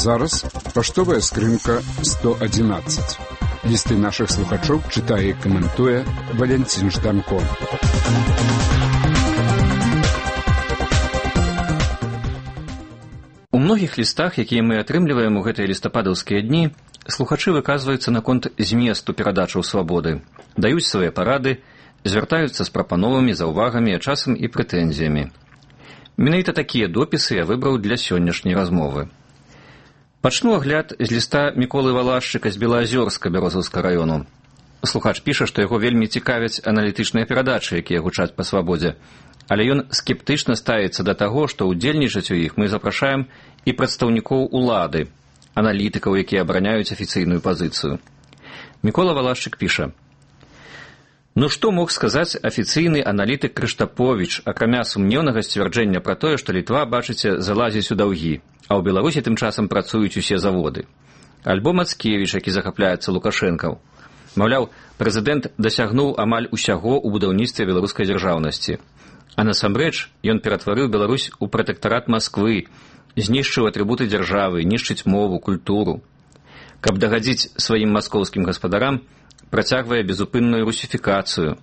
зараз паштовая скрынка 111. Лісты нашых слухачоў чытае і каментуе Валентин Жданко. У многіх лістах, якія мы атрымліваем у гэтыя лістападаўскія дні, слухачы выказваюцца наконт зместу перадачаў свабоды, даюць свае парады, звяртаюцца з прапановамі, заўвагамі, а часам і прэтэнзіямі. Менавіта такія допісы я выбраў для сённяшняй размовы. Пачну агляд з ліста Міколы Валашчыка з Белаазёрска Бярозаўскага раёну. Слухач піша, што яго вельмі цікавяць аналітычныя перадачы, якія гучаць па свабодзе, але ён скептычна ставіцца да таго, што ўдзельнічаць у іх мы запрашаем і прадстаўнікоў улады, аналітыкаў, якія абараняюць афіцыйную пазіцыю. Мікола Валашчык піша: «Ну што мог сказаць афіцыйны аналітык Крыштаповіч, акрамя сумнеўнага сцвярджэння пра тое, што Літва, бачыце, залазіць у даўгі, а ў Беларусі тым часам працуюць усе заводы. Альбо Мацкевіч, які захапляецца Лукашэнкаў. Маўляў, прэзідэнт дасягнуў амаль усяго ў будаўніцтве беларускай дзяржаўнасці. А насамрэч ён ператварыў Беларусь у пратэктарат Масквы, знішчыў атрыбуты дзяржавы, нішчыць мову, культуру. Каб дагадзіць сваім маскоўскім гаспадарам, працягвае безупынную русіфікацыю.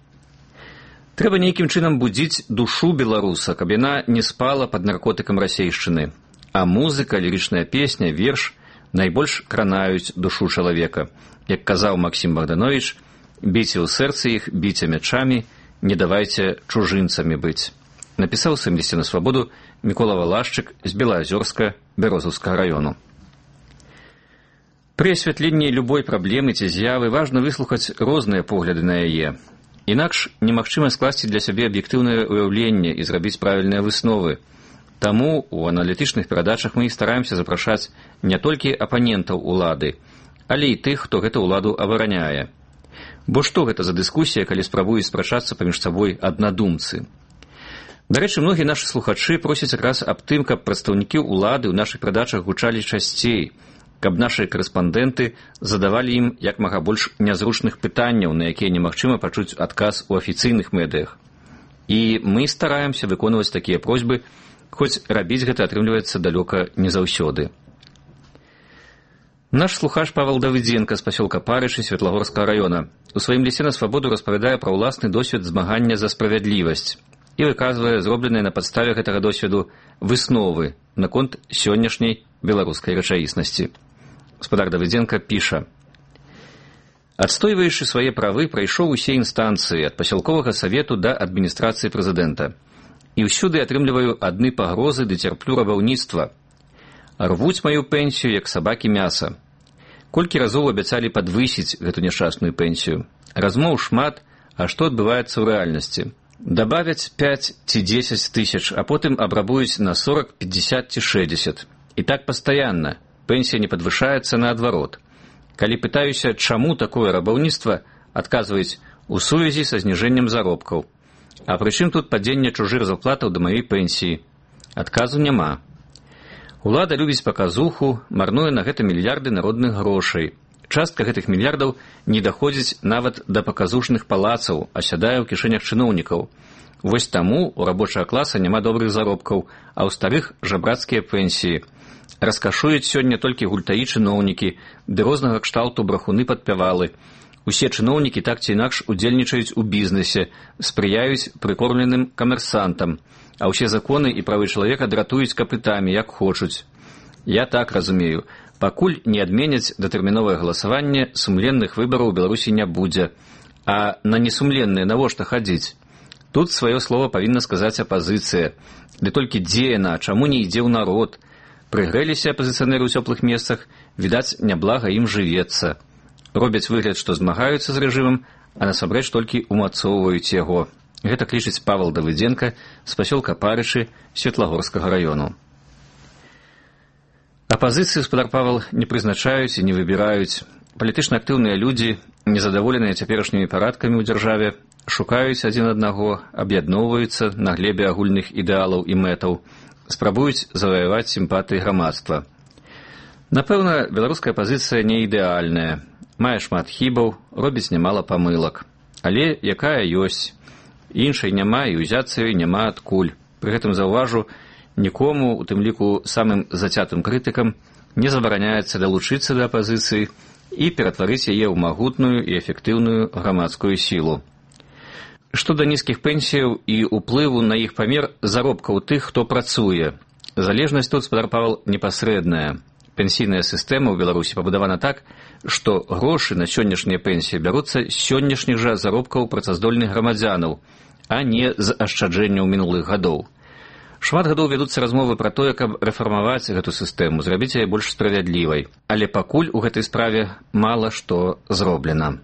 Трэба нейкім чынам будзіць душу беларуса, каб яна не спала пад наркотыкам расейшчыны. А музыка, лірычная песня, верш найбольш кранаюць душу чалавека. Як казаў Максім Богданович, біце ў сэрцы іх, біце мячамі, не давайце чужынцамі быць. Напісаў сваім лісце на свабоду Мікола Валашчык з Белаазёрска Бярозаўскага раёну. Пры асвятленні любой праблемы ці з'явы важна выслухаць розныя погляды на яе. Інакш немагчыма скласці для сябе аб'ектыўнае ўяўленне і зрабіць правільныя высновы. Таму у аналітычных перадачах мы стараемся запрашаць не толькі апанентаў улады, але і тых, хто гэту ўладу абараняе. Бо што гэта за дыскусія, калі спрабуюць спрачацца паміж сабой аднадумцы? Дарэчы, многія нашы слухачы просяць якраз аб тым, каб прадстаўнікі ўлады ў нашых перадачах гучалі часцей, каб нашы корэспандэнты задавалі ім як мага больш нязручных пытанняў, на якія немагчыма пачуць адказ у афіцыйных медыях. І мы стараемся выконваць такія просьбы, хоць рабіць гэта атрымліваецца далёка не заўсёды. Наш слухач Павел Давыдзенка з пасёлка Парышы Светлагорскага раёна у сваім лісце на свабоду распавядае пра ўласны досвед змагання за справядлівасць і выказвае зробленыя на падставе гэтага досведу высновы наконт сённяшняй беларускай рэчаіснасці. Гаспадар Давыдзенка піша: «Адстойваючы свае правы, прайшоў усе інстанцыі ад пасялковага савету да адміністрацыі прэзідэнта. І ўсюды атрымліваю адны пагрозы ды цярплю рабаўніцтва. Рвуць маю пенсію, як сабакі мяса. Колькі разоў абяцалі падвысіць гэту няшчасную пенсію. Размоў шмат, а што адбываецца ў рэальнасці? Дабавяць 5 ці 10 тысяч, а потым абрабуюць на 40, 50 ці 60. І так пастаянна. Пенсія не падвышаецца наадварот. Калі пытаюся, чаму такое рабаўніцтва, адказваюць у сувязі са зніжэннем заробкаў. А прычым тут падзенне чужых зарплатаў да маёй пенсіі? Адказу няма. Улада любіць паказуху, марнуе на гэта мільярды народных грошай. Частка гэтых мільярдаў не даходзіць нават да паказушных палацаў, а сядае ў кішэнях чыноўнікаў. Вось таму у рабочага класа няма добрых заробкаў, а ў старых жабрацкія пенсіі. Раскашуюць сёння толькі гультаі чыноўнікі, ды рознага кшталту брахуны-падпявалы. Усе чыноўнікі так ці інакш удзельнічаюць у бізнесе, спрыяюць прыкормленым камерсантам, а ўсе законы і правы чалавека дратуюць капытамі, як хочуць. Я так разумею, пакуль не адменяць датэрміновае галасаванне, сумленных выбараў у Беларусі не будзе. А на несумленныя навошта хадзіць? Тут сваё слова павінна сказаць апазіцыя. Ды толькі дзе яна, чаму не ідзе ў народ? Прыгрэліся апазіцыянеры ў цёплых месцах, відаць, няблага ім жывецца. Робяць выгляд, што змагаюцца з рэжымам, а насамрэч толькі умацоўваюць яго. Гэта клічыць Павел Давыдзенка з пасёлка Парышы Светлагорскага раёну. Апазіцыю, гаспадар Павел, не прызначаюць і не выбіраюць. Палітычна актыўныя людзі, незадаволеныя цяперашнімі парадкамі ў дзяржаве, шукаюць адзін аднаго, аб'ядноўваюцца на глебе агульных ідэалаў і мэтаў, спрабуюць заваяваць сімпатыі грамадства. Напэўна, беларуская пазіцыя не ідэальная. Мае шмат хібаў, робіць нямала памылак. Але якая ёсць. Іншай няма і ўзяцца ёй няма адкуль. Пры гэтым заўважу, нікому, у тым ліку самым зацятым крытыкам, не забараняецца далучыцца да апазіцыі і ператварыць яе ў магутную і эфектыўную грамадскую сілу. Што да нізкіх пенсіяў і ўплыву на іх памер заробкаў тых, хто працуе. Залежнасць тут, спадар Павел, непасрэдная. Пенсійная сістэма ў Беларусі пабудавана так, што грошы на сённяшнія пенсіі бяруцца з сённяшніх жа заробкаў працаздольных грамадзянаў, а не з ашчаджэнняў мінулых гадоў. Шмат гадоў вядуцца размовы пра тое, каб рэфармаваць гэту сістэму, зрабіць яе больш справядлівай. Але пакуль у гэтай справе мала што зроблена.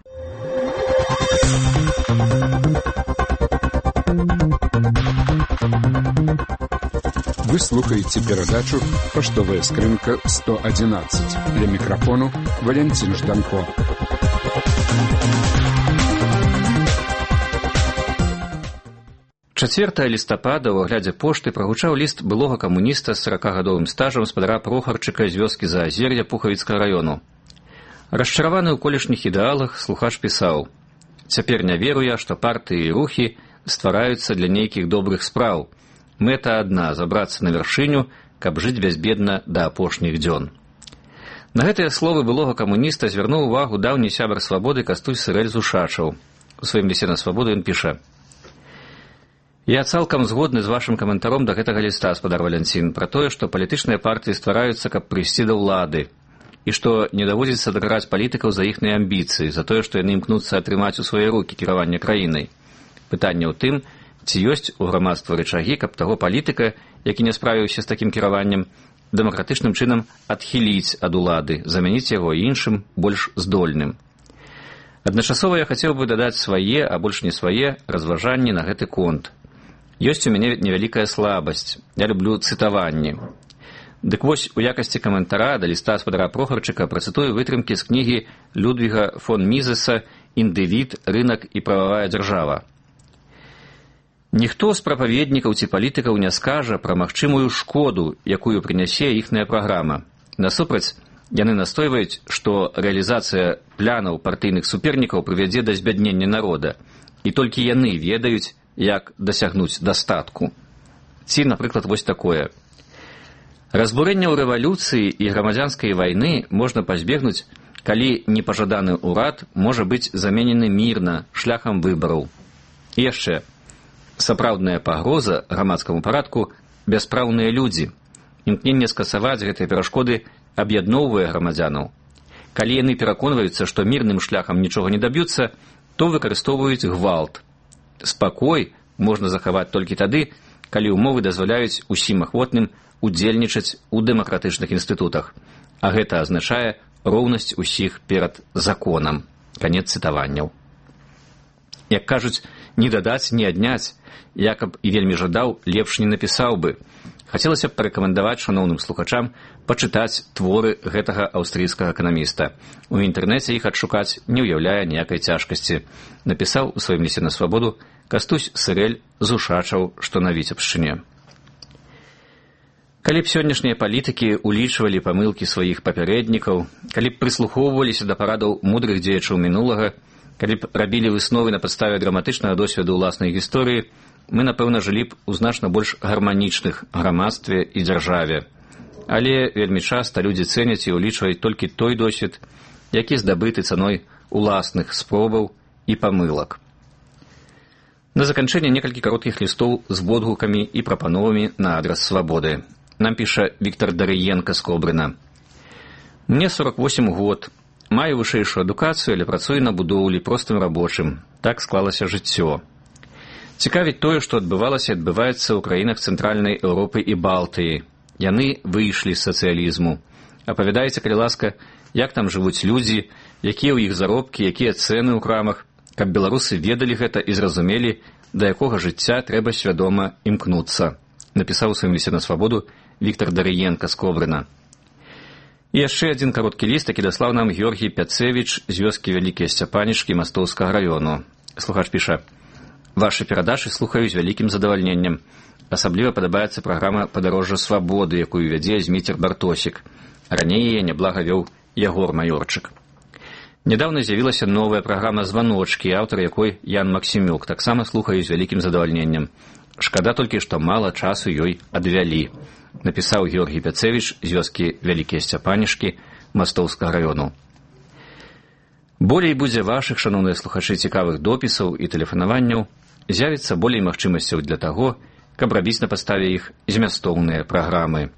Вы слухаете передачу «Поштовая скринка 111». Для микрофону Валентин Жданко. Чацвертага лістапада ў аглядзе пошты прагучаў ліст былога камуніста з 40гадовым стажам спадара Прохарчыка з вёскі Заазер'я Пухавіцкага раёну. Расчараваны ў колішніх ідэалах, слухач пісаў: «Цяпер не веру я, што партыі і рухі ствараюцца для нейкіх добрых спраў. Мэта адна — забрацца на вяршыню, каб жыць бязбедна да апошніх дзён». На гэтыя словы былога камуніста звярнуў увагу даўні сябар свабоды Кастусь Сырэль Зушачаў. У сваім лісце на свабоду ён піша: «Я цалкам згодны з вашым каментаром да гэтага ліста, спадар Валянцін, пра тое, што палітычныя партыі ствараюцца, каб прыйсці да ўлады, і што не даводзіцца дакараць палітыкаў за іхныя амбіцыі, за тое, што яны імкнуцца атрымаць у свае рукі кіраванне краінай. Пытанне ў тым, ці ёсць у грамадства рычагі, каб таго палітыка, які не справіўся з такім кіраваннем, дэмакратычным чынам адхіліць ад улады, замяніць яго іншым, больш здольным. Адначасова я хацеў бы дадаць свае, а больш не свае, разважанні на гэты конт. Ёсць у мяне невялікая слабасць. Я люблю цытаванні. Дык вось, у якасці каментара да ліста спадара Прохарчыка працытую вытрымкі з кнігі Людвіга фон Мізеса «Індывід, рынак і прававая дзяржава». Ніхто з прапаведнікаў ці палітыкаў не скажа пра магчымую шкоду, якую прынясе іхная праграма. Насупраць, яны настойваюць, што рэалізацыя планаў партыйных супернікаў прывядзе да збяднення народа, і толькі яны ведаюць, як дасягнуць дастатку. Ці, напрыклад, вось такое. Разбурэнняў рэвалюцыі і грамадзянскай вайны можна пазбегнуць, калі непажаданы ўрад можа быць заменены мірна шляхам выбараў. І яшчэ. Сапраўдная пагроза грамадскаму парадку — бяспраўныя людзі. Імкненне скасаваць гэтыя перашкоды аб'ядноўвае грамадзянаў. Калі яны пераконваюцца, што мірным шляхам нічога не даб'юцца, то выкарыстоўваюць гвалт. Спакой можна захаваць толькі тады, калі ўмовы дазваляюць усім ахвотным удзельнічаць у дэмакратычных інстытутах, а гэта азначае роўнасць усіх перад законам. Канец цытаванняў. Як кажуць, не дадаць, не адняць. Я, каб і вельмі жадаў, лепш не напісаў бы. Хацелася б парэкамендаваць шаноўным слухачам пачытаць творы гэтага аўстрыйскага эканаміста. У інтэрнэце іх адшукаць не ўяўляе ніякай цяжкасці. Напісаў у сваім лісце на свабоду Кастусь Сырэль Зушачаў, што на Віцебшчыне. Калі б сённяшнія палітыкі улічвалі памылкі сваіх папярэднікаў, калі б прыслухоўваліся да парадаў мудрых дзеячаў мінулага, калі б рабілі высновы на падставе драматычнага досведу ўласнай гісторыі, мы, напэўна, жылі б у значна больш гарманічных грамадстве і дзяржаве. Але вельмі часта людзі цэняць і ўлічваюць толькі той досвед, які здабыты цаной уласных спробаў і памылак. На заканчэнне некалькі кароткіх лістоў з водгукамі і прапановамі на адрас свабоды. Нам піша Віктор Дарыенка з Кобрына. «Мне 48 год. Маю вышэйшую адукацыю, але працую на будоўлі простым рабочым. Так склалася жыццё. Цікавіць тое, што адбывалася і адбываецца ў краінах Цэнтральнай Еўропы і Балтыі. Яны выйшлі з сацыялізму. Апавядайце, калі ласка, як там жывуць людзі, якія ў іх заробкі, якія цэны ў крамах, каб беларусы ведалі гэта і зразумелі, да якога жыцця трэба свядома імкнуцца», напісаў у сваім лісце на свабоду Віктор Дарыенка з Кобрына. І яшчэ адзін кароткі ліст, які даслаў нам Георгій Пяцевіч з вёскі Вялікія Сцяпанічкі Мастоўскага раёну. Слухач піша: «Вашы перадачы слухаю з вялікім задавальненнем. Асабліва падабаецца праграма «Падарожжа свабоды», якую вядзе Зміцер Бартосік. Раней яе няблага вёў Ягор Маёрчык. Нядаўна з'явілася новая праграма «Званочкі», аўтар якой Ян Максімюк. Таксама слухаю з вялікім задавальненнем. Шкада толькі, што мала часу ёй адвялі, напісаў Георгій Пяцевіч з вёскі Вялікія Сцяпанішкі Мастоўскага раёну. Болей будзе вашых, шаноўныя слухачы, цікавых допісаў і тэлефанаванняў, з'явіцца болей магчымасцяў для таго, каб рабіць на падставе іх змястоўныя праграмы.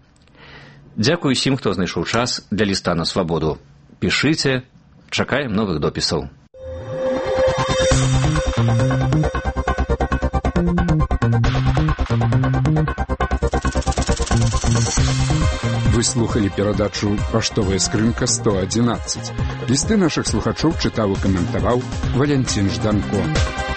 Дзякую усім, хто знайшоў час для ліста на свабоду. Пішыце, чакаем новых допісаў. Вы слухали перадачу «Паштовая скрынка 111». Лісты нашых слухачоў чытаў і каментаваў Валянцін Жданко.